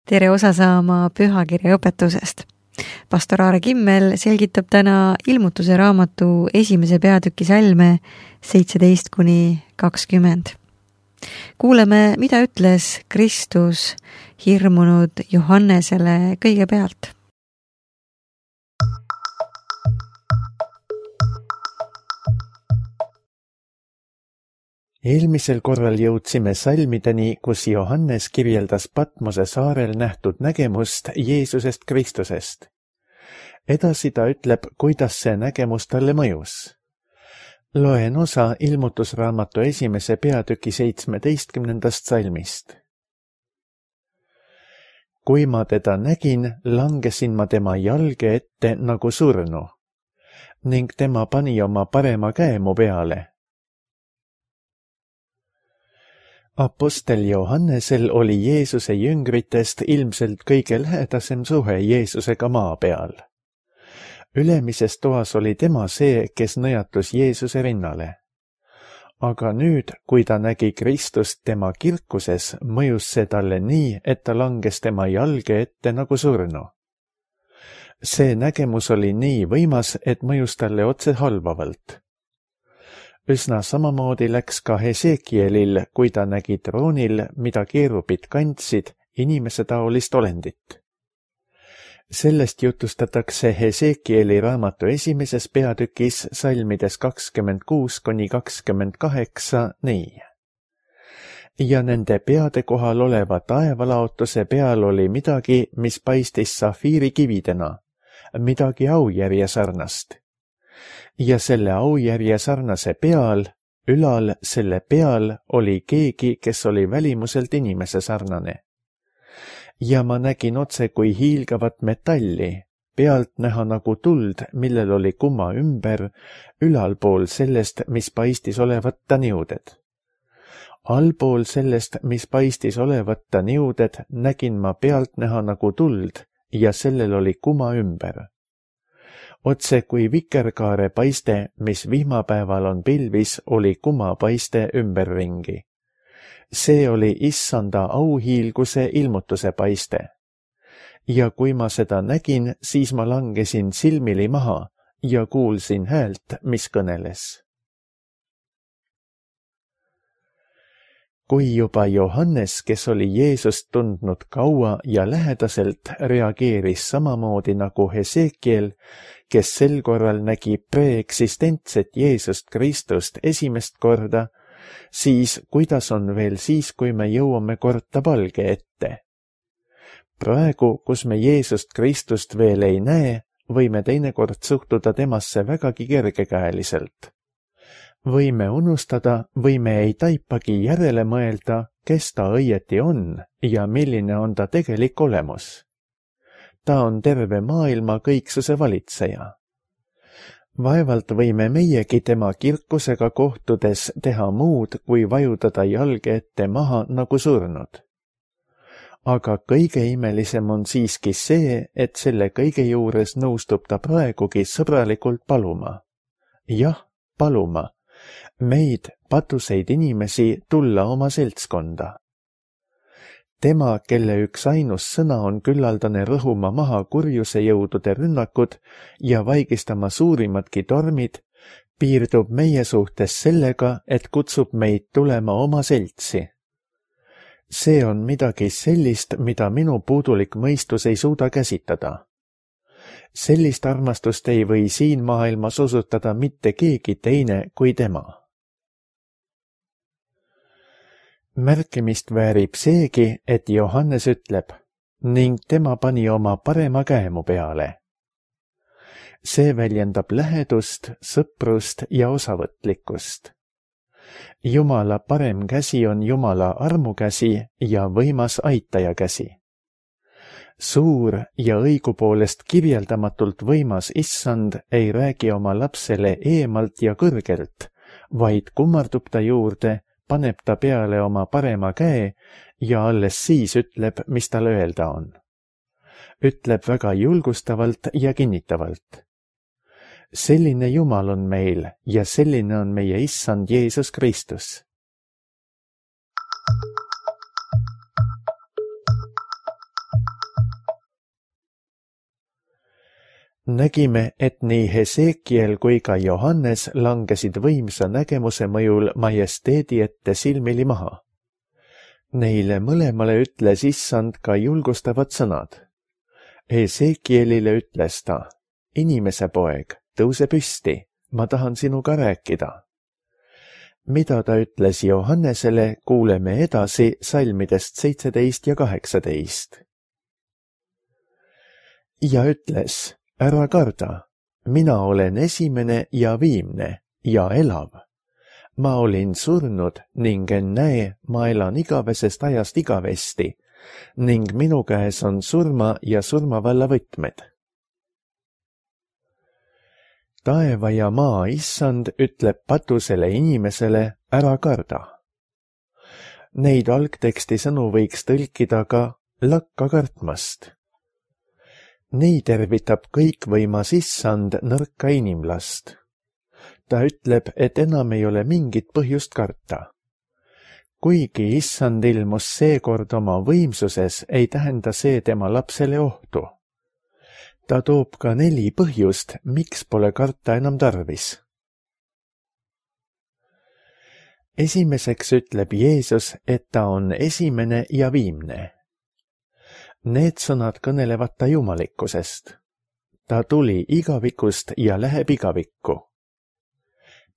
tere osa saama pühakirja õpetusest. Pastor Aare Kimmel selgitab täna Ilmutuse raamatu 1. peatüki salme 17-20. Kuuleme, mida ütles Kristus hirmunud Johannesele kõigepealt. Eelmisel korral jõudsime salmideni, kus Johannes kirjeldas Patmose saarel nähtud nägemust Jeesusest Kristusest. Edasi ta ütleb, kuidas see nägemus talle mõjus. Loen osa Ilmutusraamatu 1. peatüki 17. salmist. Kui ma teda nägin, langesin ma tema jalge ette nagu surnu, ning tema pani oma parema käe mu peale. Apostel Johannesel oli Jeesuse jüngritest ilmselt kõige lähedasem suhe Jeesusega maa peal. Ülemises toas oli tema see, kes nõjatus Jeesuse rinnale. Aga nüüd, kui ta nägi Kristust tema kirkuses, mõjus see talle nii, et ta langes tema jalge ette nagu surnu. See nägemus oli nii võimas, et mõjus talle otse halvavalt. Üsna samamoodi läks ka Hesekielil, kui ta nägi troonil, mida keerubid kandsid, inimesetaolist olendit. Sellest jutustatakse Hesekieli raamatu 1. peatükis salmides 26-28 nii. Ja nende peade kohal oleva taevalaotuse peal oli midagi, mis paistis safiirikividena, midagi aujärje sarnast. Ja selle aujärje sarnase peal, ülal selle peal oli keegi, kes oli välimuselt inimese sarnane. Ja ma nägin otse kui hiilgavat metalli, pealt näha nagu tuld, millel oli kumma ümber, ülalpool sellest, mis paistis olevat ta niuded. Allpool sellest, mis paistis olevat ta niuded, nägin ma pealt näha nagu tuld ja sellel oli kumma ümber. Otse kui vikerkaare paiste, mis vihmapäeval on pilvis, oli kumma paiste ümberringi. See oli issanda auhiilguse ilmutuse paiste. Ja kui ma seda nägin, siis ma langesin silmili maha ja kuulsin häält, mis kõneles. Kui juba Johannes, kes oli Jeesust tundnud kaua ja lähedaselt, reageeris samamoodi nagu Hesekiel, kes sel korral nägi preeksistentset Jeesust Kristust esimest korda, siis kuidas on veel siis, kui me jõuame korda palge ette? Praegu, kus me Jeesust Kristust veel ei näe, võime teinekord suhtuda temasse vägagi kergekäeliselt. Võime unustada või me ei taipagi järele mõelda, kes ta õieti on ja milline on ta tegelik olemus. Ta on terve maailma kõiksuse valitseja. Vaevalt võime meiegi tema kirkusega kohtudes teha muud, kui vajutada jalge ette maha nagu surnud. Aga kõige imelisem on siiski see, et selle kõige juures nõustub ta praegugi sõbralikult paluma. Jah, paluma. Meid, patuseid inimesi, tulla oma seltskonda. Tema, kelle üks ainus sõna on küllaldane rõhuma maha kurjuse jõudude rünnakud ja vaigistama suurimadki tormid, piirdub meie suhtes sellega, et kutsub meid tulema oma seltsi. See on midagi sellist, mida minu puudulik mõistus ei suuda käsitada. Sellist armastust ei või siin maailmas osutada mitte keegi teine kui tema. Märkimist väärib seegi, et Johannes ütleb, ning tema pani oma parema käe mu peale. See väljendab lähedust, sõprust ja osavõtlikkust. Jumala parem käsi on Jumala armukäsi ja võimas aitaja käsi. Suur ja õigupoolest kirjeldamatult võimas issand ei räägi oma lapsele eemalt ja kõrgelt, vaid kummardub ta juurde, paneb ta peale oma parema käe ja alles siis ütleb, mis tal öelda on. Ütleb väga julgustavalt ja kinnitavalt. Selline Jumal on meil ja selline on meie issand Jeesus Kristus. nägime, et nii Hesekiel kui ka Johannes langesid võimsa nägemuse mõjul majesteedi ette silmili maha. Neile mõlemale ütles issand ka julgustavad sõnad. Hesekielile ütles ta: inimese poeg, tõuse püsti, ma tahan sinuga rääkida. Mida ta ütles Johannesele, kuuleme edasi salmidest 17 ja 18. Ja ütles: ära karda, mina olen esimene ja viimne ja elav. Ma olin surnud ning ennäe, ma elan igavesest ajast igavesti ning minu käes on surma ja surmavalla võtmed. Taeva ja maa issand ütleb patusele inimesele: ära karda. Neid algteksti sõnu võiks tõlkida ka lakka kartmast. Nii tervitab kõikvõimas issand nõrka inimlast. Ta ütleb, et enam ei ole mingit põhjust karta. Kuigi issand ilmus seekord oma võimsuses, ei tähenda see tema lapsele ohtu. Ta toob ka 4 põhjust, miks pole karta enam tarvis. Esimeseks ütleb Jeesus, et ta on esimene ja viimne. Need sõnad kõnelevad ta jumalikkusest. Ta tuli igavikust ja läheb igavikku.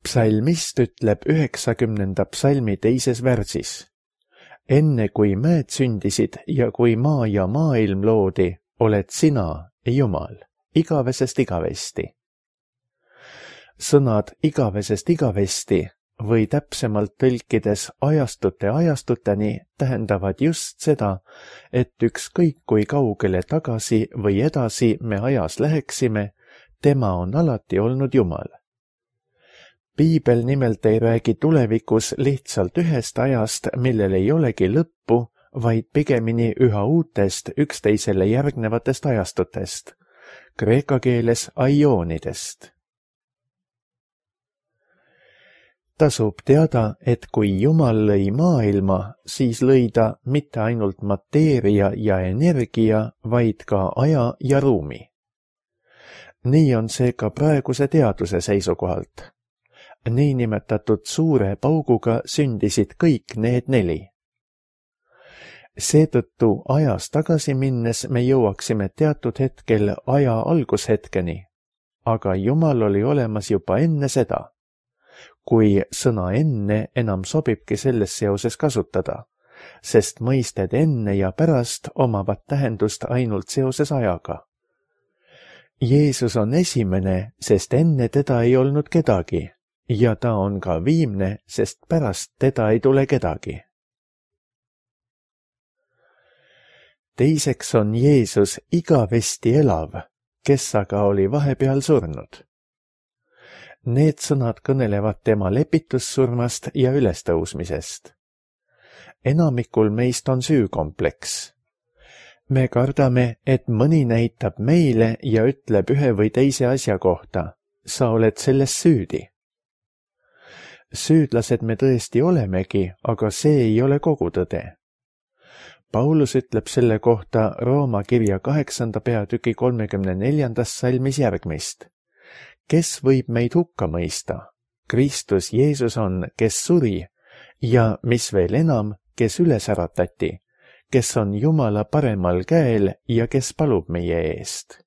Psalmist ütleb 90. psalmi 2. värsis: enne kui mäed sündisid ja kui maa ja maailm loodi, oled sina, Jumal, igavesest igavesti. Sõnad igavesest igavesti või täpsemalt tõlkides ajastute ajastuteni tähendavad just seda, et ükskõik kui kaugele tagasi või edasi me ajas läheksime, tema on alati olnud Jumal. Piibel nimelt ei räägi tulevikus lihtsalt ühest ajast, millel ei olegi lõppu, vaid pigemini üha uutest üksteisele järgnevatest ajastutest, kreeka keeles aioonidest. Tasub teada, et kui Jumal lõi maailma, siis lõi ta mitte ainult mateeria ja energia, vaid ka aja ja ruumi. Nii on see ka praeguse teaduse seisukohalt. Niinimetatud suure pauguga sündisid kõik need 4. Seetõttu ajas tagasi minnes me jõuaksime teatud hetkel aja algushetkeni, aga Jumal oli olemas juba enne seda. Kui sõna enne enam sobibki selles seoses kasutada, sest mõisted enne ja pärast omavad tähendust ainult seoses ajaga. Jeesus on esimene, sest enne teda ei olnud kedagi, ja ta on ka viimne, sest pärast teda ei tule kedagi. Teiseks on Jeesus igavesti elav, kes aga oli vahepeal surnud. Need sõnad kõnelevad tema lepitussurmast ja ülestõusmisest. Enamikul meist on süükompleks. Me kardame, et mõni näitab meile ja ütleb ühe või teise asja kohta: sa oled selles süüdi. Süüdlased me tõesti olemegi, aga see ei ole kogu tõde. Paulus ütleb selle kohta Rooma kirja 8. peatüki 34. salmis järgmist: kes võib meid hukka mõista? Kristus Jeesus on, kes suri, ja mis veel enam, kes üles äratati, kes on Jumala paremal käel ja kes palub meie eest.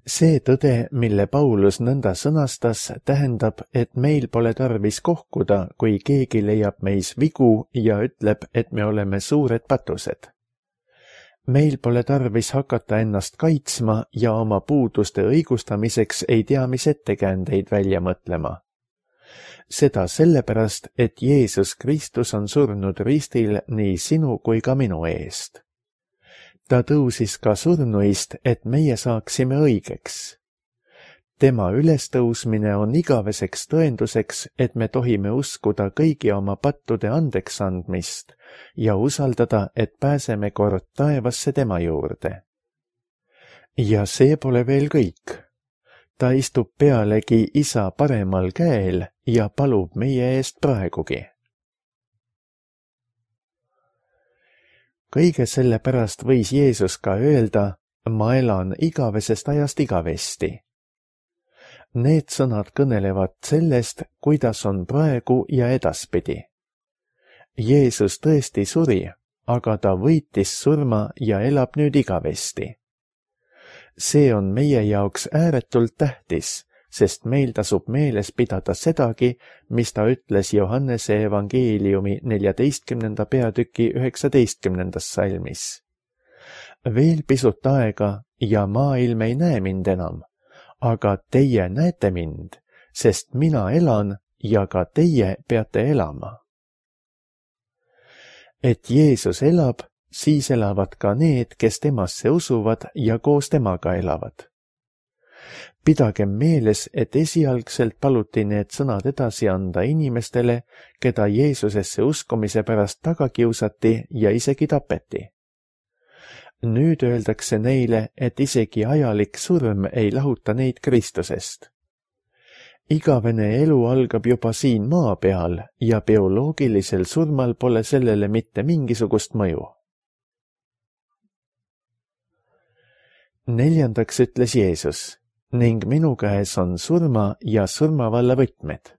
See tõde, mille Paulus nõnda sõnastas, tähendab, et meil pole tarvis kohkuda, kui keegi leiab meis vigu ja ütleb, et me oleme suured patused. Meil pole tarvis hakata ennast kaitsma ja oma puuduste õigustamiseks ei tea mis ettekäändeid välja mõtlema. Seda sellepärast, et Jeesus Kristus on surnud ristil nii sinu kui ka minu eest. Ta tõusis ka surnuist, et meie saaksime õigeks. Tema ülestõusmine on igaveseks tõenduseks, et me tohime uskuda kõigi oma pattude andeks andmist ja usaldada, et pääseme kord taevasse tema juurde. Ja see pole veel kõik. Ta istub pealegi Isa paremal käel ja palub meie eest praegugi. Kõige selle pärast võis Jeesus ka öelda: ma elan igavesest ajast igavesti. Need sõnad kõnelevad sellest, kuidas on praegu ja edaspidi. Jeesus tõesti suri, aga ta võitis surma ja elab nüüd igavesti. See on meie jaoks ääretult tähtis, sest meil tasub meeles pidada sedagi, mis ta ütles Johannese evangeeliumi 14. peatüki 19. salmis. Veel pisut aega ja maailm ei näe mind enam, aga teie näete mind, sest mina elan ja ka teie peate elama. Et Jeesus elab, siis elavad ka need, kes temasse usuvad ja koos temaga elavad. Pidagem meeles, et esialgselt paluti need sõnad edasi anda inimestele, keda Jeesusesse uskumise pärast taga kiusati ja isegi tapeti. Nüüd öeldakse neile, et isegi ajalik surm ei lahuta neid Kristusest. Igavene elu algab juba siin maa peal ja bioloogilisel surmal pole sellele mitte mingisugust mõju. 4. ütles Jeesus, ning minu käes on surma ja surmavalla võtmed.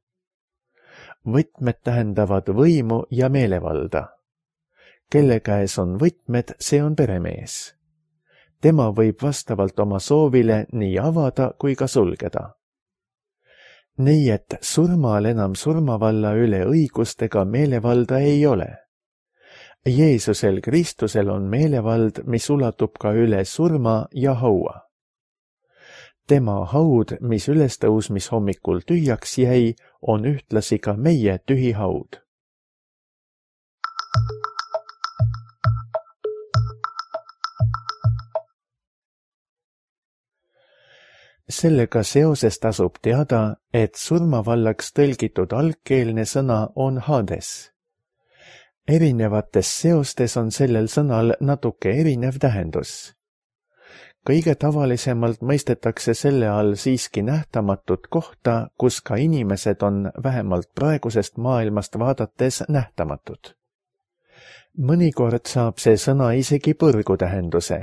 Võtmed tähendavad võimu ja meelevalda. Kelle käes on võtmed, see on peremees. Tema võib vastavalt oma soovile nii avada kui ka sulgeda. Nii et surmal enam surmavalla üle õigustega meelevalda ei ole. Jeesusel Kristusel on meelevald, mis ulatub ka üle surma ja haua. Tema haud, mis ülestõusmishommikul tühjaks jäi, on ühtlasi ka meie tühi haud. Sellega seoses tasub teada, et surmavallaks tõlgitud algkeelne sõna on Hades. Erinevates seostes on sellel sõnal natuke erinev tähendus. Kõige tavalisemalt mõistetakse selle all siiski nähtamatut kohta, kus ka inimesed on vähemalt praegusest maailmast vaadates nähtamatud. Mõnikord saab see sõna isegi põrgu tähenduse.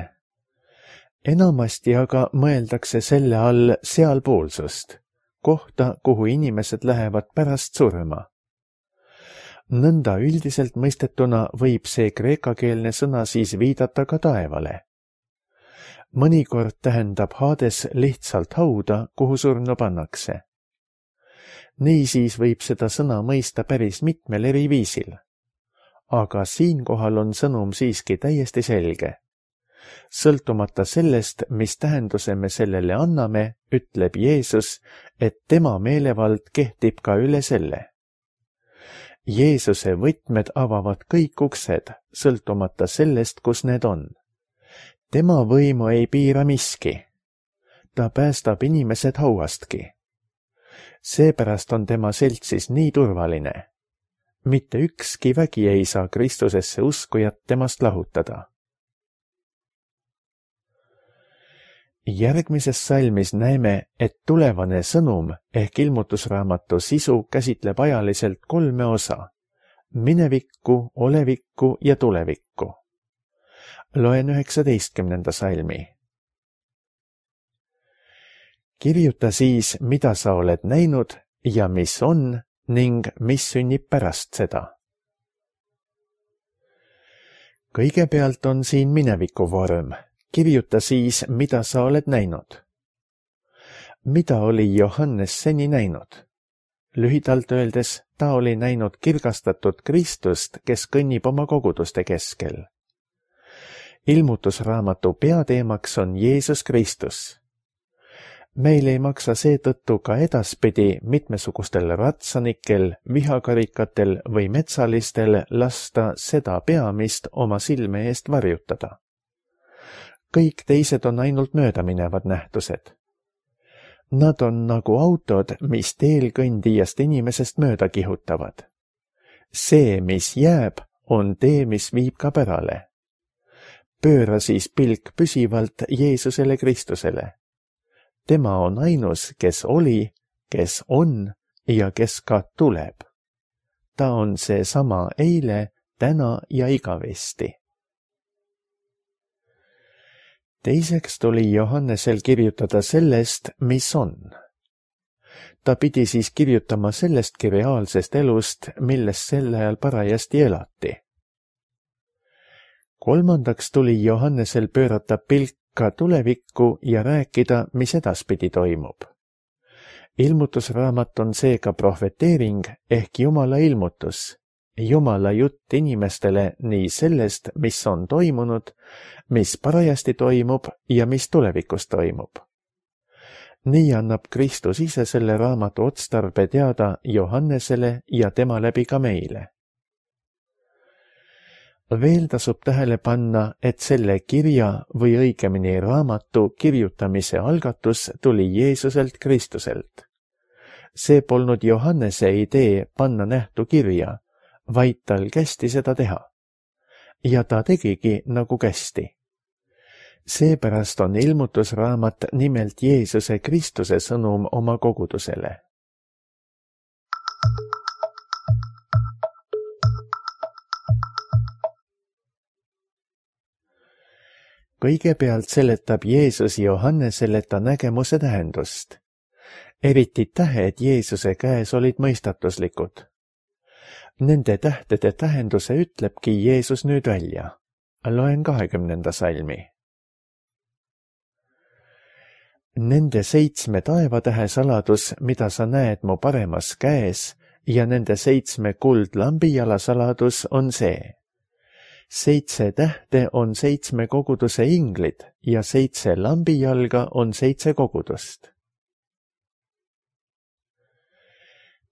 Enamasti aga mõeldakse selle all sealpoolsust, kohta, kuhu inimesed lähevad pärast surma. Nõnda üldiselt mõistetuna võib see kreekakeelne sõna siis viidata ka taevale. Mõnikord tähendab Hades lihtsalt hauda, kuhu surnu pannakse. Niisiis võib seda sõna mõista päris mitmel eri viisil. Aga siinkohal on sõnum siiski täiesti selge. Sõltumata sellest, mis tähenduse me sellele anname, ütleb Jeesus, et tema meelevald kehtib ka üle selle. Jeesuse võtmed avavad kõik uksed, sõltumata sellest, kus need on. Tema võimu ei piira miski. Ta päästab inimesed hauastki. Seepärast on tema seltsis nii turvaline. Mitte ükski vägi ei saa Kristusesse uskujat temast lahutada. Järgmises salmis näeme, et tulevane sõnum ehk ilmutusraamatu sisu käsitleb ajaliselt 3 osa: minevikku, olevikku ja tulevikku. Loen 19. salmi. Kirjuta siis, mida sa oled näinud ja mis on ning mis sünnib pärast seda. Kõigepealt on siin mineviku vorm. Kirjuta siis, mida sa oled näinud. Mida oli Johannes seni näinud? Lühidalt öeldes, ta oli näinud kirgastatud Kristust, kes kõnnib oma koguduste keskel. Ilmutusraamatu peateemaks on Jeesus Kristus. Meil ei maksa seetõttu ka edaspidi mitmesugustel ratsanikel, vihakarikatel või metsalistel lasta seda peamist oma silme eest varjutada. Kõik teised on ainult möödaminevad nähtused. Nad on nagu autod, mis teel kõndijast inimesest mööda kihutavad. See, mis jääb, on tee, mis viib ka pärale. Pööra siis pilk püsivalt Jeesusele Kristusele. Tema on ainus, kes oli, kes on ja kes ka tuleb. Ta on seesama eile, täna ja igavesti. Teiseks tuli Johannesel kirjutada sellest, mis on. Ta pidi siis kirjutama sellestki reaalsest elust, milles sel ajal parajasti elati. Kolmandaks tuli Johannesel pöörata pilk ka tulevikku ja rääkida, mis edaspidi toimub. Ilmutusraamat on seega prohveteering ehk Jumala ilmutus, Jumala jutt inimestele nii sellest, mis on toimunud, mis parajasti toimub ja mis tulevikus toimub. Nii annab Kristus ise selle raamatu otstarbe teada Johannesele ja tema läbi ka meile. Veel tasub tähele panna, et selle kirja või õigemini raamatu kirjutamise algatus tuli Jeesuselt Kristuselt. See polnud Johannese idee panna nähtu kirja, vaid tal kästi seda teha. Ja ta tegigi nagu kästi. Seepärast on ilmutusraamat nimelt Jeesuse Kristuse sõnum oma kogudusele. Kõigepealt seletab Jeesus Johannesele ta nägemuse tähendust. Eriti tähed Jeesuse käes olid mõistatuslikud. Nende tähtede tähenduse ütlebki Jeesus nüüd välja. Loen 20. salmi. Nende 7 taevatähe saladus, mida sa näed mu paremas käes, ja nende 7 kuldlambijala saladus on see. 7 tähte on 7 koguduse inglid ja 7 lambijalga on 7 kogudust.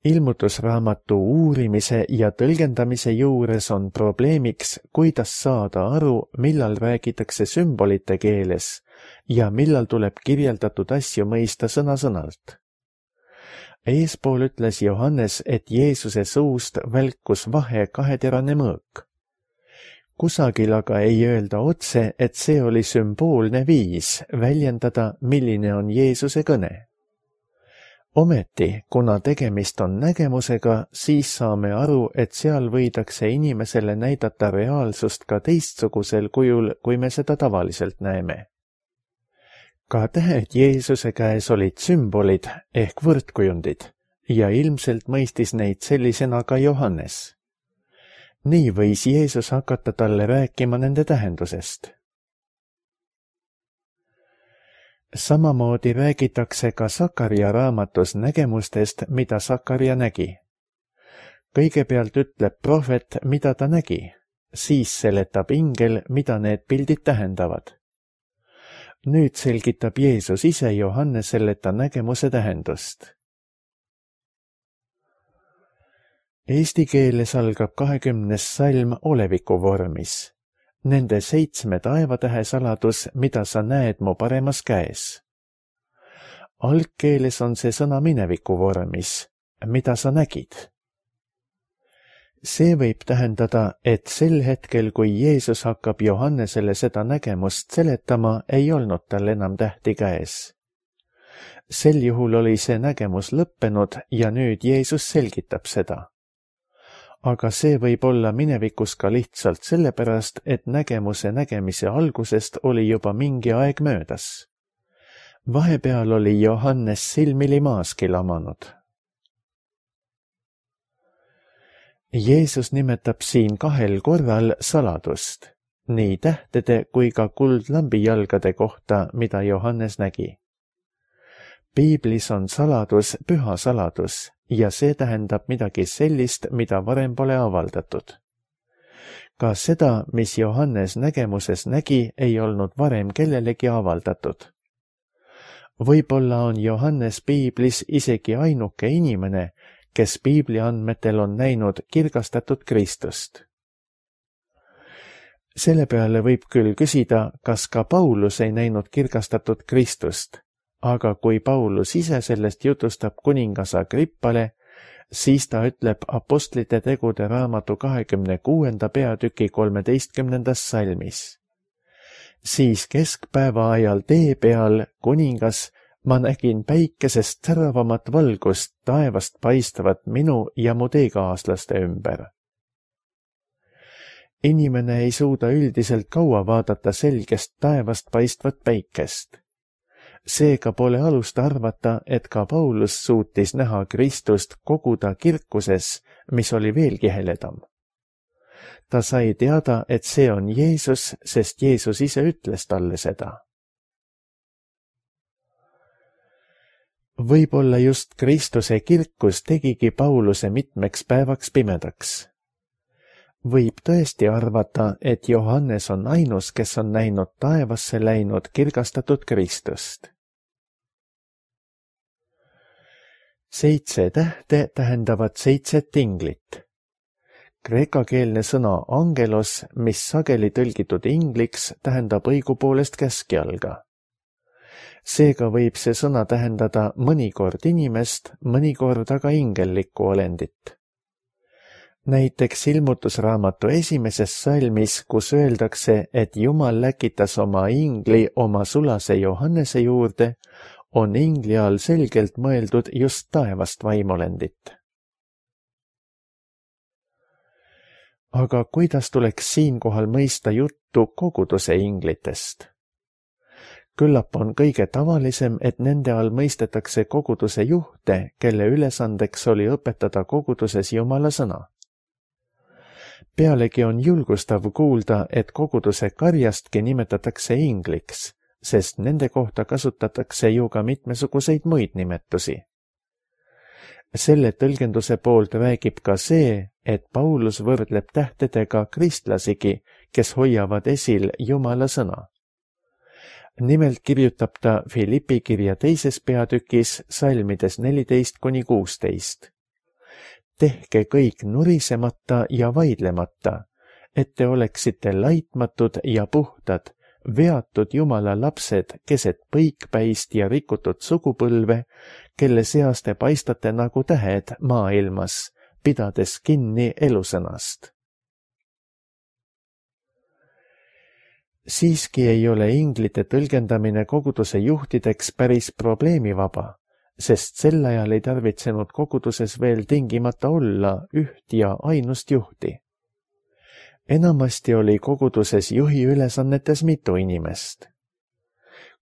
Ilmutusraamatu uurimise ja tõlgendamise juures on probleemiks, kuidas saada aru, millal räägitakse sümbolite keeles ja millal tuleb kirjeldatud asju mõista sõna-sõnalt. Eespool ütles Johannes, et Jeesuse suust välkus vahe kaheterane mõõk. Kusagil aga ei öelda otse, et see oli sümboolne viis väljendada, milline on Jeesuse kõne. Ometi, kuna tegemist on nägemusega, siis saame aru, et seal võidakse inimesele näidata reaalsust ka teistsugusel kujul, kui me seda tavaliselt näeme. Ka tähed Jeesuse käes olid sümbolid ehk võrdkujundid ja ilmselt mõistis neid sellisena ka Johannes. Nii võis Jeesus hakata talle rääkima nende tähendusest. Samamoodi räägitakse ka Sakaria raamatus nägemustest, mida Sakaria nägi. Kõigepealt ütleb prohvet, mida ta nägi, siis seletab ingel, mida need pildid tähendavad. Nüüd selgitab Jeesus ise Johannesele ta nägemuse tähendust. Eesti keeles algab 20. salm oleviku vormis. Nende 7 taevatähe saladus, mida sa näed mu paremas käes. Algkeeles on see sõna mineviku vormis, mida sa nägid. See võib tähendada, et sel hetkel, kui Jeesus hakkab Johannesele seda nägemust seletama, ei olnud tal enam tähti käes. Sel juhul oli see nägemus lõppenud ja nüüd Jeesus selgitab seda. Aga see võib olla minevikus ka lihtsalt sellepärast, et nägemuse nägemise algusest oli juba mingi aeg möödas. Vahepeal oli Johannes silmili maaski lamanud. Jeesus nimetab siin 2 korral saladust, nii tähtede kui ka kuldlambijalgade kohta, mida Johannes nägi. Piiblis on saladus püha saladus ja see tähendab midagi sellist, mida varem pole avaldatud. Ka seda, mis Johannes nägemuses nägi, ei olnud varem kellelegi avaldatud. Võib-olla on Johannes Piiblis isegi ainuke inimene, kes Piibli andmetel on näinud kirgastatud Kristust. Selle peale võib küll küsida, kas ka Paulus ei näinud kirgastatud Kristust, aga kui Paulus ise sellest jutustab kuningas Agrippale, siis ta ütleb Apostlite tegude raamatu 26. peatüki 13. salmis. Siis keskpäeva ajal tee peal, kuningas, ma nägin päikesest säravamat valgust taevast paistavat minu ja mu teekaaslaste ümber. Inimene ei suuda üldiselt kaua vaadata selgest taevast paistvat päikest. Seega pole alust arvata, et ka Paulus suutis näha Kristust koguda kirkuses, mis oli veelgi heledam. Ta sai teada, et see on Jeesus, sest Jeesus ise ütles talle seda. Võib-olla just Kristuse kirkus tegigi Pauluse mitmeks päevaks pimedaks. Võib tõesti arvata, et Johannes on ainus, kes on näinud taevasse läinud kirgastatud Kristust. 7 tähte tähendavad 7 inglit. Kreekakeelne sõna angelos, mis sageli tõlgitud ingliks, tähendab õigupoolest käskjalga. Seega võib see sõna tähendada mõnikord inimest, mõnikord aga ingellikku olendit. Näiteks Ilmutusraamatu 1. salmis, kus öeldakse, et Jumal läkitas oma ingli oma sulase Johannese juurde, on ingli all selgelt mõeldud just taevast vaimolendit. Aga kuidas tuleks siinkohal mõista juttu koguduse inglitest? Küllap on kõige tavalisem, et nende all mõistetakse koguduse juhte, kelle ülesandeks oli õpetada koguduses Jumala sõna. Pealegi on julgustav kuulda, et koguduse karjastki nimetatakse ingliks, sest nende kohta kasutatakse ju ka mitmesuguseid muid nimetusi. Selle tõlgenduse poolt räägib ka see, et Paulus võrdleb tähtedega kristlasigi, kes hoiavad esil Jumala sõna. Nimelt kirjutab ta Filippi kirja 2. peatükis salmides 14-16. Tehke kõik nurisemata ja vaidlemata, et te oleksite laitmatud ja puhtad, veatud Jumala lapsed keset põikpäist ja rikutud sugupõlve, kelle seas te paistate nagu tähed maailmas, pidades kinni elusõnast. Siiski ei ole inglite tõlgendamine koguduse juhtideks päris probleemivaba, sest sel ajal ei tarvitsenud koguduses veel tingimata olla üht ja ainust juhti. Enamasti oli koguduses juhi ülesannetes mitu inimest.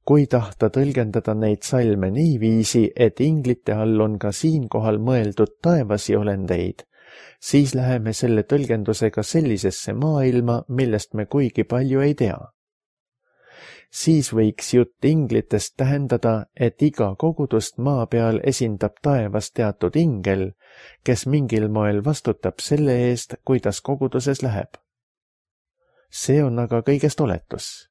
Kui tahta tõlgendada neid salme niiviisi, et inglite all on ka siinkohal mõeldud taevasi olendeid, siis läheme selle tõlgendusega sellisesse maailma, millest me kuigi palju ei tea. Siis võiks jutt inglitest tähendada, et iga kogudust maa peal esindab taevas teatud ingel, kes mingil moel vastutab selle eest, kuidas koguduses läheb. See on aga kõigest oletus.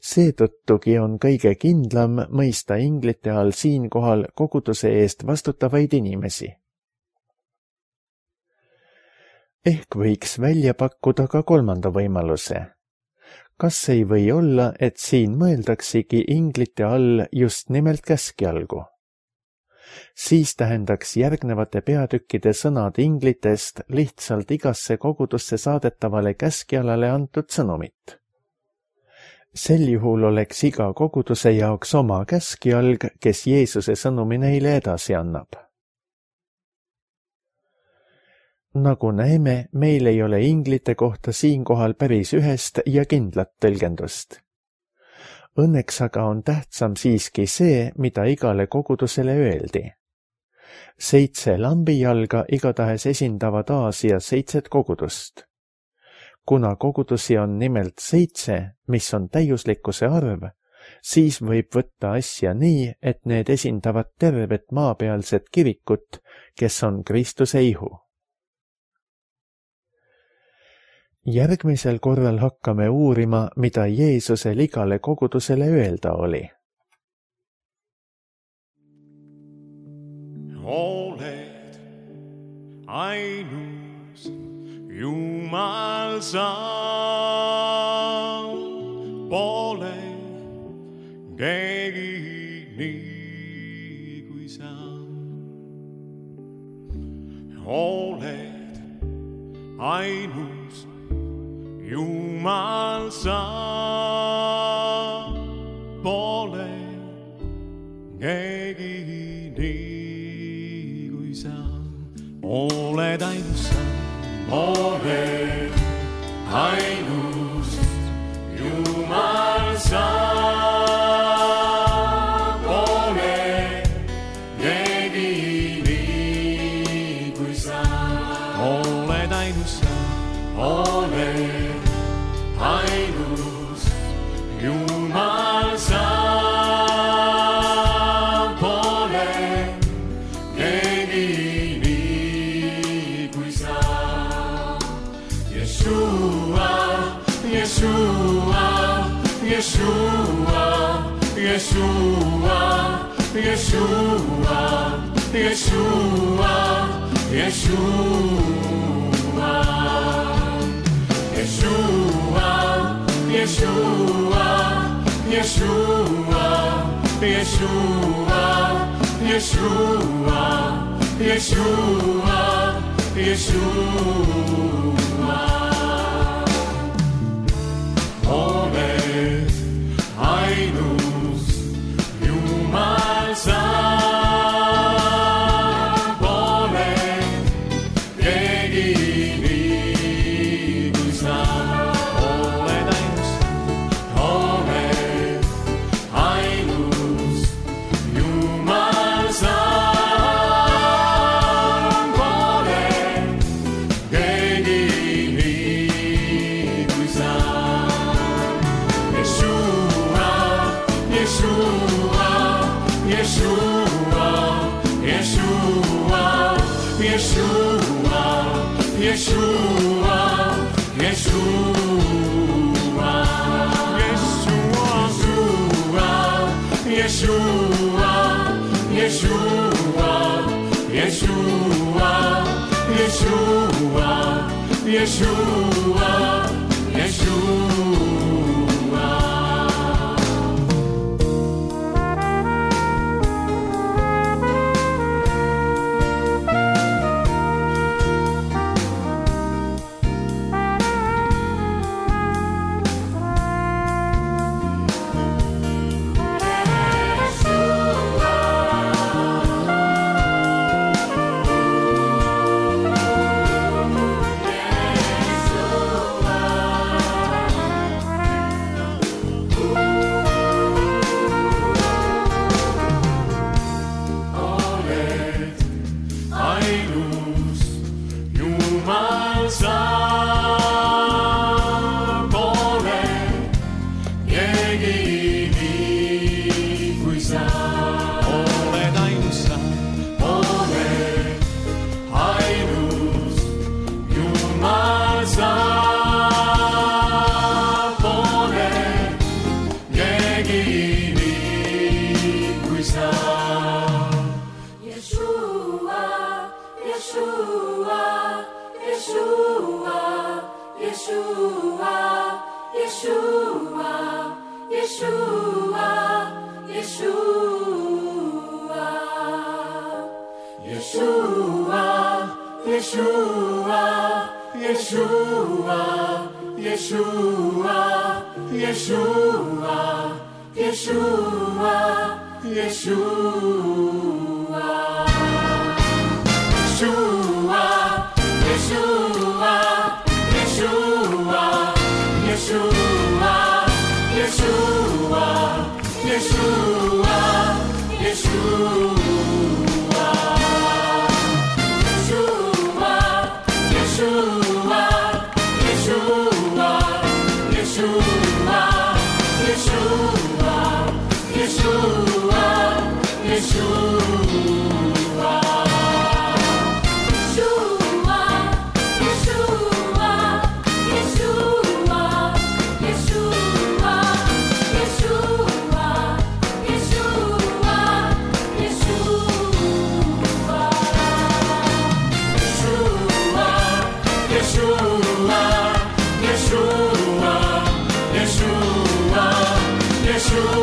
Seetõttugi on kõige kindlam mõista inglite all siinkohal koguduse eest vastutavaid inimesi. Ehk võiks välja pakkuda ka 3. võimaluse. Kas ei või olla, et siin mõeldaksegi inglite all just nimelt käskjalgu? Siis tähendaks järgnevate peatükkide sõnad inglitest lihtsalt igasse kogudusse saadetavale käskjalale antud sõnumit. Sel juhul oleks iga koguduse jaoks oma käskjalg, kes Jeesuse sõnumi neile edasi annab. Nagu näeme, meil ei ole inglite kohta siinkohal päris ühest ja kindlat tõlgendust. Õnneks aga on tähtsam siiski see, mida igale kogudusele öeldi. 7 lambijalga igatahes esindavad Aasias 7 kogudust. Kuna kogudusi on nimelt 7, mis on täiuslikkuse arv, siis võib võtta asja nii, et need esindavad tervet maapealset kirikut, kes on Kristuse ihu. Järgmisel korral hakkame uurima, mida Jeesusel igale kogudusele öelda oli. Oled ainus Jumal sa, pole keegi nii kui sa. Oled ainus Jumal sa, pole keegi nii kui sa. Oled ainus sa, oled ainus Jumal sa pole keegi nii kui sa. oled ainus sa, oled ainus Jumal sa pole keegi nii kui sa. Yeshua, Yeshua, Yeshua, Yeshua, Yeshua, Yeshua, Yeshua, Yeshua, Yeshua, Yeshua, Yeshua, Yeshua, Yeshua, Yeshua. Oled ainus Jumal sa pole keegi nii kui sa. oled ainus, oled ainus Jumal sa pole keegi nii kui sa. Yeshua, Yeshua, Yeshua, Yeshua, Yeshua, Yeshua, Yeshua, Yeshua, Yeshua, Yeshua, Yeshua, Yeshua, Yeshua. Yeshua,